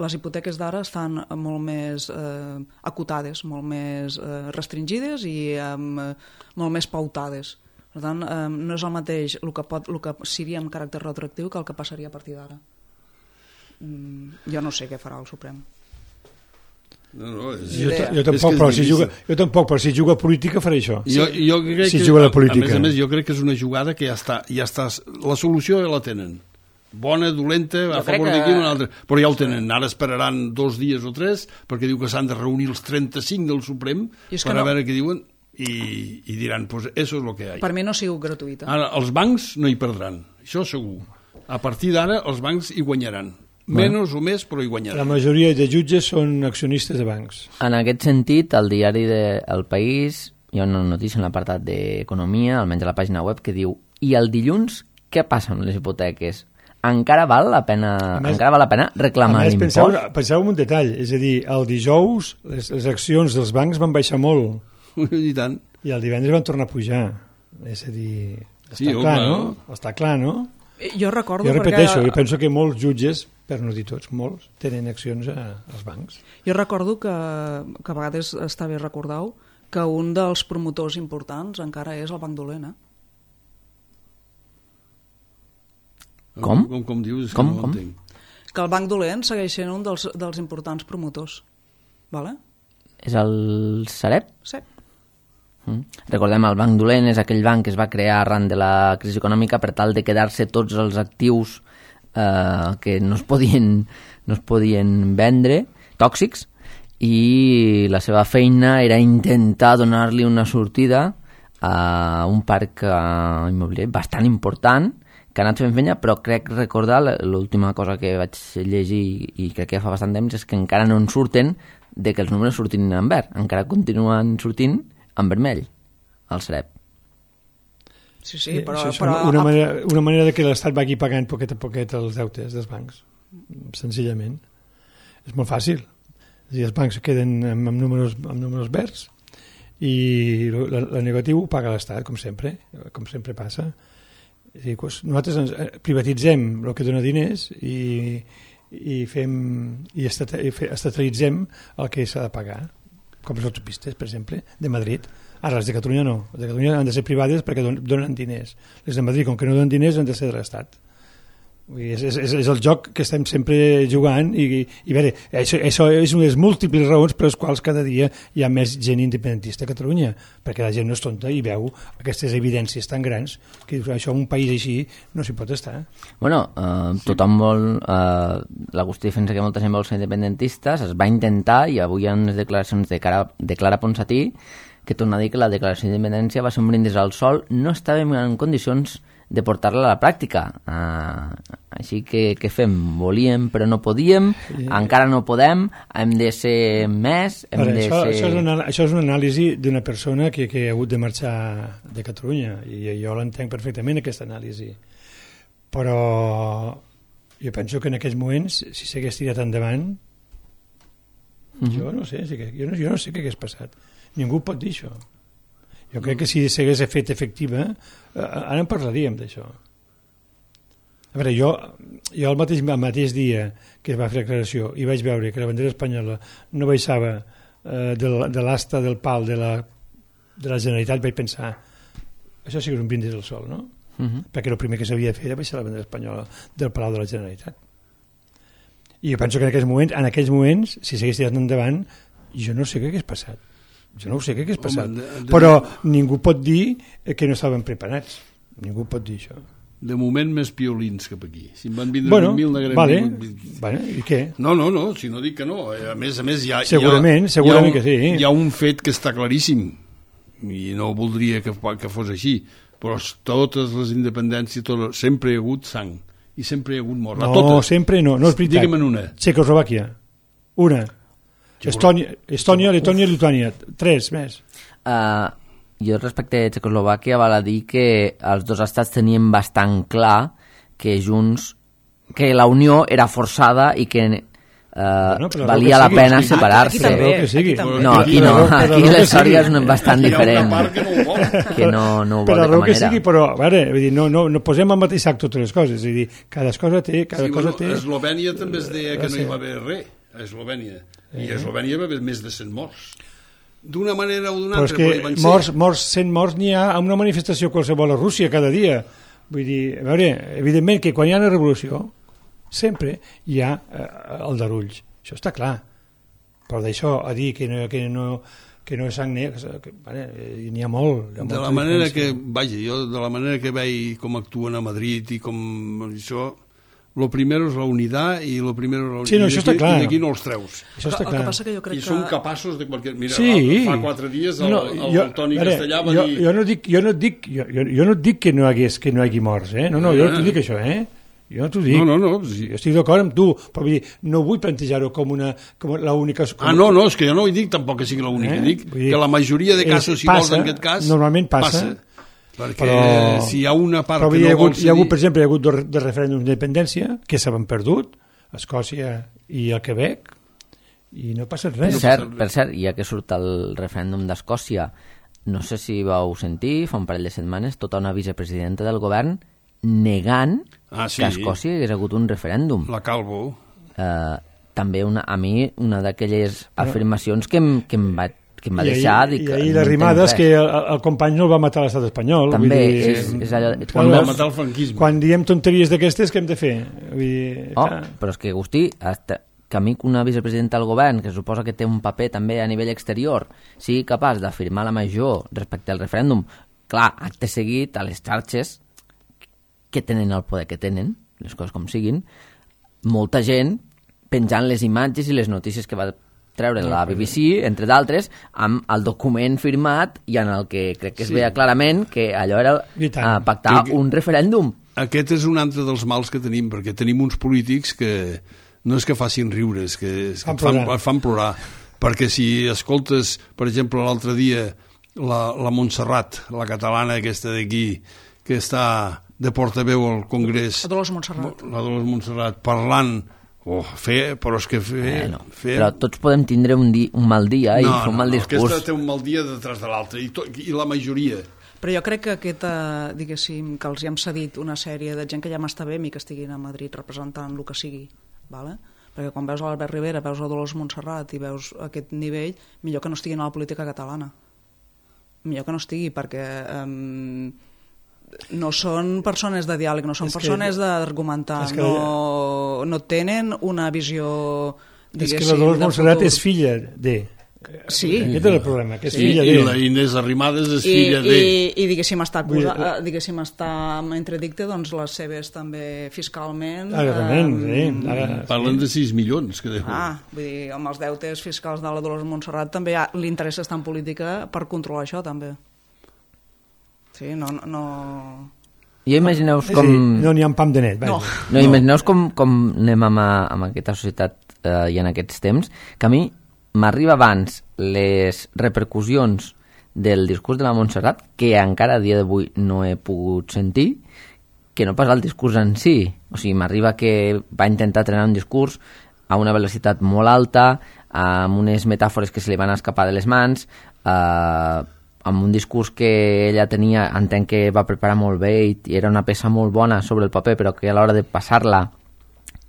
Les hipoteques d'ara estan molt més eh, acotades, molt més eh, restringides i eh, molt més pautades. Per tant, eh, no és el mateix el que, pot, el que seria amb caràcter retroactiu que el que passaria a partir d'ara. Mm, jo no sé què farà el Suprem. No, no, és... jo, jo, tampoc, però si juga, jo tampoc, però si juga a política faré això. Jo, jo crec si que, juga a la política. A més a més, jo crec que és una jugada que ja està, ja està la solució ja la tenen. Bona, dolenta, a favor que... d'aquí una altra. Però ja ho tenen. Ara esperaran dos dies o tres perquè diu que s'han de reunir els trenta-cinc del Suprem per a no... veure què diuen. I, i diran, pues eso es lo que hay. Per mi no ha sigut gratuïta. Ara, els bancs no hi perdran, això segur. A partir d'ara, els bancs hi guanyaran. Menys bueno, o més, però hi guanyaran. La majoria de jutges són accionistes de bancs. En aquest sentit, al diari de El País hi ha una notícia en l'apartat d'Economia, almenys a la pàgina web, que diu i el dilluns, què passa amb les hipoteques? Encara val la pena, més, encara val la pena reclamar l'impost? Penseu, penseu en un detall, és a dir, el dijous les, les accions dels bancs van baixar molt. I tant. I el divendres van tornar a pujar. És a dir, està sí, clar, home, no? Està clar, no? Jo recordo... Jo repeteixo, perquè... jo penso que molts jutges, per no dir tots, molts, tenen accions a, als bancs. Jo recordo que, que a vegades està bé recordar-ho, que un dels promotors importants encara és el Banc Dolent, eh? Com? Com, com dius? És com, que no com? entenc. Que el Banc Dolent segueix sent un dels, dels importants promotors. Vale? És el Sareb? Sí. Mm. Recordem, el Banc Dolent és aquell banc que es va crear arran de la crisi econòmica per tal de quedar-se tots els actius eh, que no es podien, no es podien vendre, tòxics, i la seva feina era intentar donar-li una sortida a un parc eh, immobiliari bastant important que ha anat fent feina, però crec recordar l'última cosa que vaig llegir i crec que ja fa bastant temps és que encara no en surten de que els números surtin en verd, encara continuen sortint en vermell, el Sareb. Sí, sí, però... Això és però... una, manera, una manera de que l'Estat vagi pagant poquet a poquet els deutes dels bancs, senzillament. És molt fàcil. És a dir, els bancs queden amb, amb, números, amb números verds i el negatiu ho paga l'Estat, com sempre, com sempre passa. És a dir, nosaltres ens privatitzem el que dona diners i, i fem i estatalitzem el que s'ha de pagar, com les autopistes, per exemple, de Madrid. Ara, les de Catalunya no. Les de Catalunya han de ser privades perquè donen diners. Les de Madrid, com que no donen diners, han de ser de l'Estat. És, és, és el joc que estem sempre jugant i, i a veure, això, això és una de les múltiples raons per les quals cada dia hi ha més gent independentista a Catalunya, perquè la gent no és tonta i veu aquestes evidències tan grans que això en un país així no s'hi pot estar. Bueno, eh, tothom vol eh, l'Agustí defensa que molta gent vol ser independentistes, es va intentar i avui hi ha unes declaracions de, cara, de Clara Ponsatí que torna a dir que la declaració d'independència va ser un brindis al sol, no estàvem en condicions de portar-la a la pràctica. Uh, així que què fem? Volíem però no podíem, sí. Encara no podem, hem de ser més, hem Ara, de això, ser... Això és, una, això és una anàlisi d'una persona que, que ha hagut de marxar de Catalunya i jo l'entenc perfectament, aquesta anàlisi. Però jo penso que en aquells moments, si s'hagués tirat endavant, mm-hmm. jo no sé, jo no, jo no sé què hagués passat. Ningú pot dir això. Jo crec que si s'hagués fet efectiva, eh, ara en parlaríem d'això. A veure, jo, jo el, mateix, el mateix dia que es va fer la declaració i vaig veure que la bandera espanyola no baixava eh, de, de l'asta del pal de la, de la Generalitat, vaig pensar, això sí que és un brindis al sol, no? Uh-huh. Perquè el primer que s'havia de fer era baixar la bandera espanyola del Palau de la Generalitat. I jo penso que en aquells moments, en aquells moments si s'hagués tirat endavant, jo no sé què hagués passat. Jo no ho sé què hagués passat. Home, de, de... Però ningú pot dir que no estaven preparats. Ningú pot dir això. de moment més piolins cap aquí. Si em van vindre bueno, vint mil, n'haguem vale. vingut... Bueno, i què? No, no, no, si no dic que no. A més, a més, hi ha... Segurament, hi ha, segurament hi ha, que sí. Hi ha un fet que està claríssim, i no voldria que, que fos així, però totes les independències, tot, sempre hi ha hagut sang, i sempre hi ha hagut mort. No, totes. sempre no, no és veritat. Digue'm una. Txecoslovàquia, una. Estònia, Estònia, Letònia i Lituània, tres més. Uh, jo respecte a Txecoslovàquia val a dir que els dos estats tenien bastant clar que junts, que la unió era forçada i que uh, bueno, valia la pena aquí, separar-se. aquí també, que sigui. aquí també. No, aquí no, aquí la història és bastant diferent, Hi ha una part que no ho vol. que no, no ho vol Per de la cap raó que manera. sigui, però a veure, vull dir, no, no, no posem al mateix sac totes les coses, és a dir, cada cosa té... Cada Sí, cosa bueno, té... a Eslovènia també es deia que no Sí. hi va haver res, a Eslovènia. I a Eslovènia va haver més de cent morts. D'una manera o d'una Però és altra, que però hi van ser. morts, morts, cent morts n'hi ha a una manifestació qualsevol a Rússia cada dia. Vull dir, a veure, evidentment que quan hi ha una revolució sempre hi ha eh, el darulls. Això està clar. Però d'això a dir que no, que no, que no és sang negra, que, vale, n'hi ha molt. Hi ha De la manera que, vaja, jo de la manera que veig com actuen a Madrid i com això, lo primero és la unitat i lo primero és la unitat. Sí, no, això està clar. I d'aquí no els treus. Això està El clar. que passa que jo crec I que... són capaços de qualsevol... Mira, Sí. fa quatre dies el, No, el, jo- el Toni veure, Castellà va jo, dir... jo no dic, jo no dic, jo, jo, jo no dic que no hagués, que no hi hagi morts, eh? No, no, jo no t'ho dic això, eh? Jo no t'ho dic. No, no, no. Sí. Jo estic d'acord amb tu, però vull dir, no vull plantejar-ho com una, com l'única... Com... Ah, no, no, és que jo no ho dic tampoc que sigui l'únic. Eh? Dic Vull dir, que la majoria de és- casos, si passa, vols, en aquest cas... normalment passa, Perquè però- si hi ha una part Però que hi ha, no vol hagut, hi ha hagut, cedir... per exemple, hi ha hagut dos, dos referèndums d'independència que s'han perdut, a Escòcia i al Quebec, i no passa Per res. cert, per cert, ja que surt el referèndum d'Escòcia, no sé si vau sentir, fa un parell de setmanes, tota una vicepresidenta del govern negant Ah, sí. que a Escòcia hi hagués hagut un referèndum. La Calvo... Eh, també una, a mi una d'aquelles afirmacions que em, que em va, que em va deixar... I, dic, i ahir no la rimada entenc és que res. el, el company no el va matar a l'estat espanyol. També, vull dir, és, és allò... Quan Quan va veus, matar el franquisme. quan diem tonteries d'aquestes, què hem de fer? Vull dir, oh, clar. però és que, Agustí, hasta que a mi una vicepresidenta del govern, que suposa que té un paper també a nivell exterior, sigui capaç d'afirmar la major respecte al referèndum, clar, acte seguit a les xarxes que tenen el poder que tenen, les coses com siguin, molta gent penjant les imatges i les notícies que va treure la B B C, entre d'altres, amb el document firmat i en el que crec que es Sí. veia clarament que allò era I tant. uh, pactar Que- un referèndum. Aquest és un altre dels mals que tenim, perquè tenim uns polítics que no és que facin riure, és que, és que Fan et, fan, plorar. et fan plorar. Perquè si escoltes, per exemple, l'altre dia la, la Montserrat, la catalana aquesta d'aquí, que està de portaveu al Congrés, La Dolors Montserrat. la Dolors Montserrat, parlant, oh, fer, però és que fer... Bueno, fer però tots podem tindre un, di un mal dia i fer un mal discurs. Aquesta té un mal dia detrás de l'altre, i, to, i la majoria. Però jo crec que aquesta, diguéssim, que els hi hem cedit una sèrie de gent que ja m'està bé a mi que estiguin a Madrid representant el que sigui, vale? Perquè quan veus l'Albert Rivera, veus a Dolors Montserrat i veus aquest nivell, millor que no estiguin a la política catalana. Millor que no estigui, perquè um, no són persones de diàleg, no són És que- persones d'argumentar, és que- no, no tenen una visió, És diguéssim, que la Dolors de Montserrat futur. és filla de... Sí. Aquest és el problema, que és I, filla I de... la Inés Arrimadas és I, filla de... i, i diguéssim està, acusa, Vull dir, eh, diguéssim està amb entredicte doncs les seves també fiscalment Ara, realment, eh, sí. Ara, Parlen de sis milions que deuen. ah, vull dir, amb els deutes fiscals de la Dolors Montserrat també hi ha, li interessa estar en política per controlar això també sí, no, no, no... Jo imagineu-vos és a com... dir, no n'hi ha un pam de net. No. vaja. No, imagineu-vos com, com anem amb, amb aquesta societat eh, i en aquests temps, que a mi m'arriba abans les repercussions del discurs de la Montserrat, que encara a dia d'avui no he pogut sentir, que no pas el discurs en si. O sigui, m'arriba que va intentar trenar un discurs a una velocitat molt alta, amb unes metàfores que se li van escapar de les mans, eh, amb un discurs que ella tenia, entenc que va preparar molt bé i, i era una peça molt bona sobre el paper, però que a l'hora de passar-la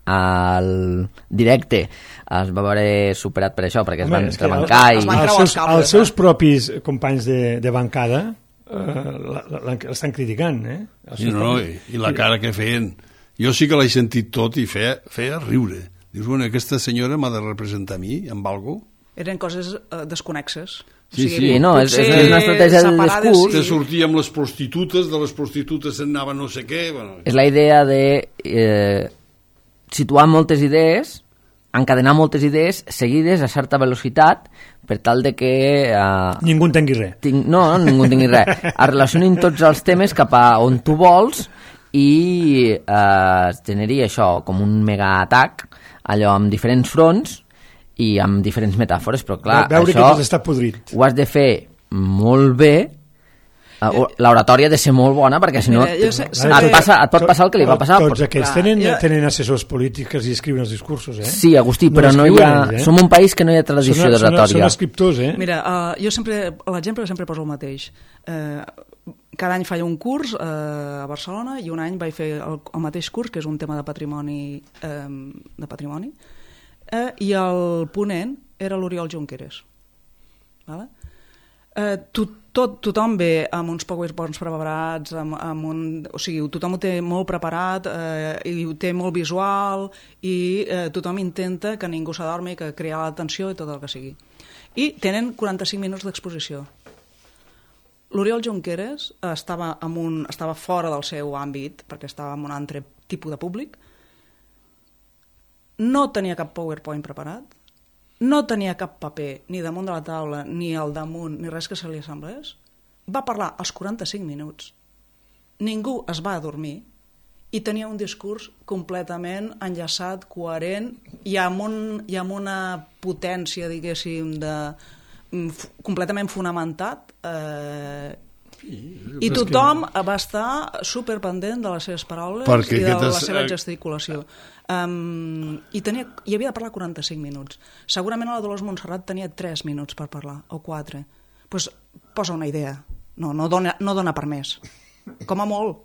al directe es va veure superat per això, perquè es Home, van és que rebancar els- i... els van Els creuar els seus, cables, els seus eh? propis companys de, de bancada eh, l'estan criticant, eh? Els Sí, seus no, propis- i, i la cara que feien. Jo sí que l'he sentit tot i feia, feia riure. Dius, bueno, aquesta senyora m'ha de representar a mi amb algo? eren coses uh, desconexes. Sí, o sigui, sí, no, és, és una estratègia de discurs. Sí. Te sortia amb les prostitutes, de les prostitutes se'n anava no sé què... Bueno. És la idea de eh, situar moltes idees, encadenar moltes idees seguides a certa velocitat per tal de que... Eh, ningú entengui res. Tinc, no, no, ningú entengui res. Es relacionin tots els temes cap a on tu vols i eh, es generi això, com un megaatac, allò amb diferents fronts i amb diferents metàfores, però clar, veure això que tot està podrit. Ho has de fer molt bé. L'oratòria ha de ser molt bona perquè si no Mira, sé, sé et, passa, et pot passar el que li va passar. Tots aquests clar, tenen, jo... tenen assessors polítics i escriuen els discursos, eh? Sí, Agustí, no però no hi ha... Ells, eh? Som un país que no hi ha tradició d'oratòria. Són, són escriptors, eh? Mira, uh, jo sempre, l'exemple sempre poso el mateix. Uh, cada any faig un curs uh, a Barcelona i un any vaig fer el, el mateix curs, que és un tema de patrimoni, um, de patrimoni, uh, i el ponent era l'Oriol Junqueras. Vale? Uh, tot, tot, tothom ve amb uns powerpoints preparats, amb, amb un, o sigui, tothom ho té molt preparat uh, i ho té molt visual i uh, tothom intenta que ningú s'adormi, que crear l'atenció i tot el que sigui. I tenen quaranta-cinc minuts d'exposició. L'Oriol Junqueras estava, amb un, estava fora del seu àmbit, perquè estava en un altre tipus de públic, no tenia cap PowerPoint preparat, no tenia cap paper ni damunt de la taula, ni al damunt, ni res que se li assemblés. Va parlar als quaranta-cinc minuts. Ningú es va adormir i tenia un discurs completament enllaçat, coherent i amb, un, i amb una potència, diguéssim, de, f, completament fonamentat. Eh, I tothom va estar superpendent de les seves paraules perquè i de la és... seva gesticulació. Um, i, tenia, i havia de parlar quaranta-cinc minuts. Segurament la Dolors Montserrat tenia tres minuts per parlar, o quatre. Doncs pues, posa una idea. No, no, dona, no dona per més. Com a molt.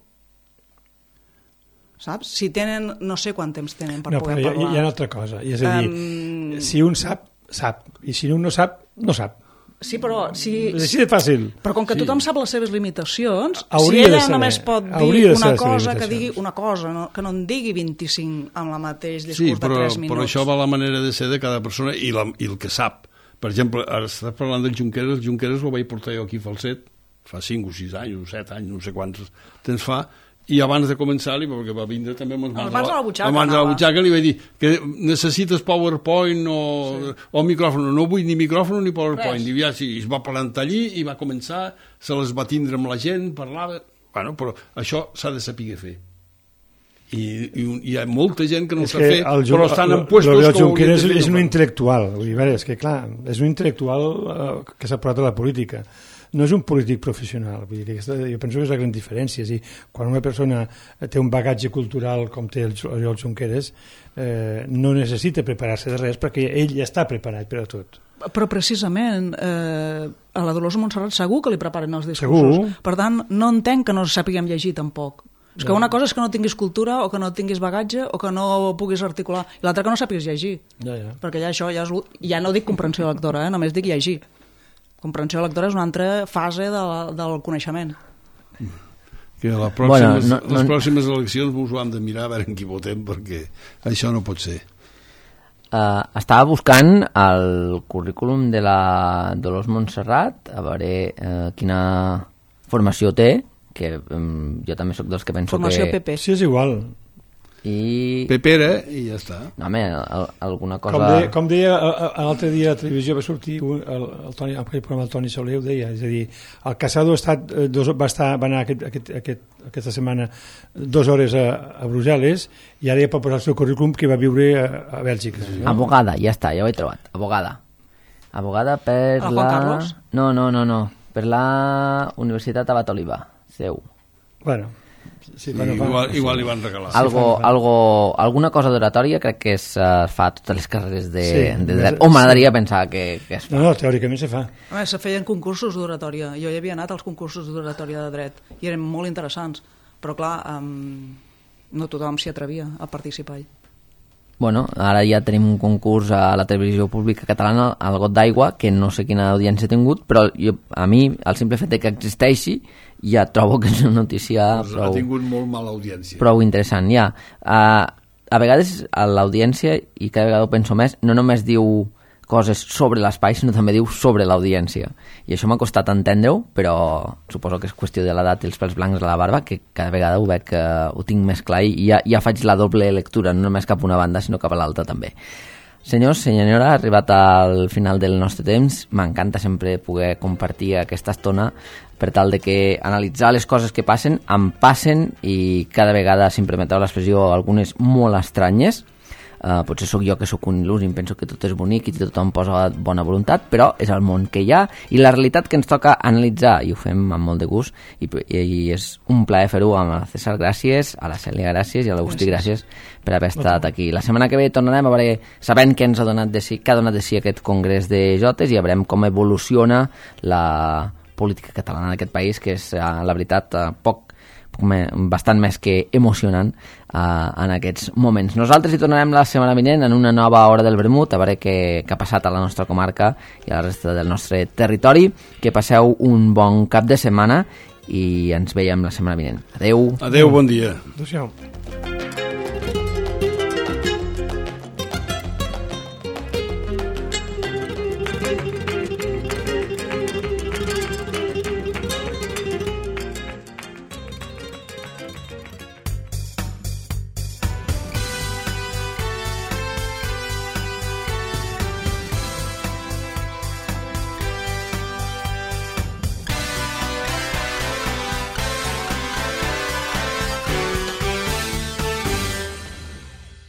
Saps? Si tenen... No sé quant temps tenen per no, poder hi, parlar. Hi ha una altra cosa. I és a dir, um... si un sap, sap. I si un no sap, no sap. Sí, però... Si, és així de fàcil. Però com que sí. tothom sap les seves limitacions, hauria si ella saber, només pot dir una cosa, que digui una cosa, no, que no en digui vint-i-cinc amb la mateix discurs sí, però, de tres minuts. Però això va la manera de ser de cada persona i, la, i el que sap. Per exemple, ara estàs parlant del Junqueras, el Junqueras el vaig portar jo aquí a Falset, fa cinc o sis anys, o set anys, no sé quants temps fa, i abans de començar-li, perquè va vindre també amb les mans, mans a la butxaca, mans a la butxaca, li vaig dir que necessites PowerPoint o, sí. o micròfon. No vull ni micròfon ni PowerPoint. I ja, sí, es va plantar allí i va començar, se les va tindre amb la gent, parlava... Bueno, però això s'ha de saber fer. I, i hi ha molta gent que no ho sap fer, però estan en puestos que ho haurien de fer. És un no intel·lectual. Vull dir, és que, clar, és un intel·lectual eh, que s'ha portat a la política. No és un polític professional, vull dir que aquesta, jo penso que és la gran diferència. És dir, quan una persona té un bagatge cultural com té el Oriol Junqueras, eh, no necessita preparar-se de res perquè ell ja està preparat per a tot. Però precisament eh, a la Dolors Montserrat segur que li preparen els discursos. Segur. Per tant, no entenc que no sàpiguem llegir tampoc. És que una cosa és que no tinguis cultura o que no tinguis bagatge o que no puguis articular, i l'altra que no sàpigues llegir. Ja, ja. Perquè ja això ja, és, ja no dic comprensió lectora, eh? Només dic llegir. Comprensió lectora és una altra fase de la, del coneixement. Que a les pròximes, bueno, no, no, les pròximes eleccions ens ho hem de mirar a veure en qui votem, perquè això no pot ser. Uh, estava buscant el currículum de la Dolors Montserrat, a veure uh, quina formació té, que um, jo també sóc dels que penso formació que... P P. Sí, és igual. I... Pepera i ja està. No, home, el, alguna cosa... Com deia, com deia l'altre dia a la televisió va sortir un, el, el Toni, en aquell programa el Toni Soler ho deia, és a dir, el Casado ha estat, dos, va, estar, va anar aquest, aquest, aquest, aquesta setmana dues hores a, a Brussel·les i ara ja pot posar el seu currículum que va viure a, a Bèlgica. No? Abogada, ja està, ja ho he trobat. Abogada. Abogada per la... la... Carlos? No, no, no, no. Per la Universitat Abat Oliva, seu. Bueno... Sí, bueno, igual, va, igual sí. li van regalar. Algo, sí, algo, alguna cosa d'oratòria crec que es uh, fa a totes les carreres de, sí, de dret. O m'agradaria sí. pensar que, que es fa. No, no, teòricament se fa. A més, se feien concursos d'oratòria. Jo hi havia anat als concursos d'oratòria de dret i eren molt interessants, però clar, um, no tothom s'hi atrevia a participar-hi. Bueno, ara ja tenim un concurs a la televisió pública catalana, al Got d'Aigua, que no sé quina audiència ha tingut, però jo, a mi, el simple fet que existeixi, ja trobo que és una notícia pues prou, ha tingut molt mala audiència. Prou interessant, ja. Uh, a vegades a l'audiència, i cada vegada ho penso més, no només diu coses sobre l'espai, sinó també diu sobre l'audiència. I això m'ha costat entendre-ho, però suposo que és qüestió de l'edat i els pèls blancs de la barba, que cada vegada ho veig que ho tinc més clar i ja, ja faig la doble lectura, no només cap a una banda, sinó cap a l'altra també. Senyors, senyora, ha arribat al final del nostre temps. M'encanta sempre poder compartir aquesta estona per tal de que analitzar les coses que passen, em passen i cada vegada, si em permeteu l'expressió, algunes molt estranyes. Uh, potser sóc jo que sóc un il·lús i em penso que tot és bonic i tothom posa bona voluntat, però és el món que hi ha i la realitat que ens toca analitzar, i ho fem amb molt de gust i, i, i és un plaer fer-ho amb el César, gràcies, a la Cèlia, gràcies, i a l'Agustí, gràcies per haver estat aquí. La setmana que ve tornarem a veure, sabent què ens ha donat de si, què ha donat de si aquest congrés de jotes, i veurem com evoluciona la política catalana d'aquest país, que és, la veritat, poc bastant més que emocionant uh, en aquests moments. Nosaltres hi tornarem la setmana vinent en una nova hora del vermut, a veure què, què ha passat a la nostra comarca i a la resta del nostre territori. Que passeu un bon cap de setmana i ens veiem la setmana vinent. Adeu. Adeu, bon dia. Adéu-siau.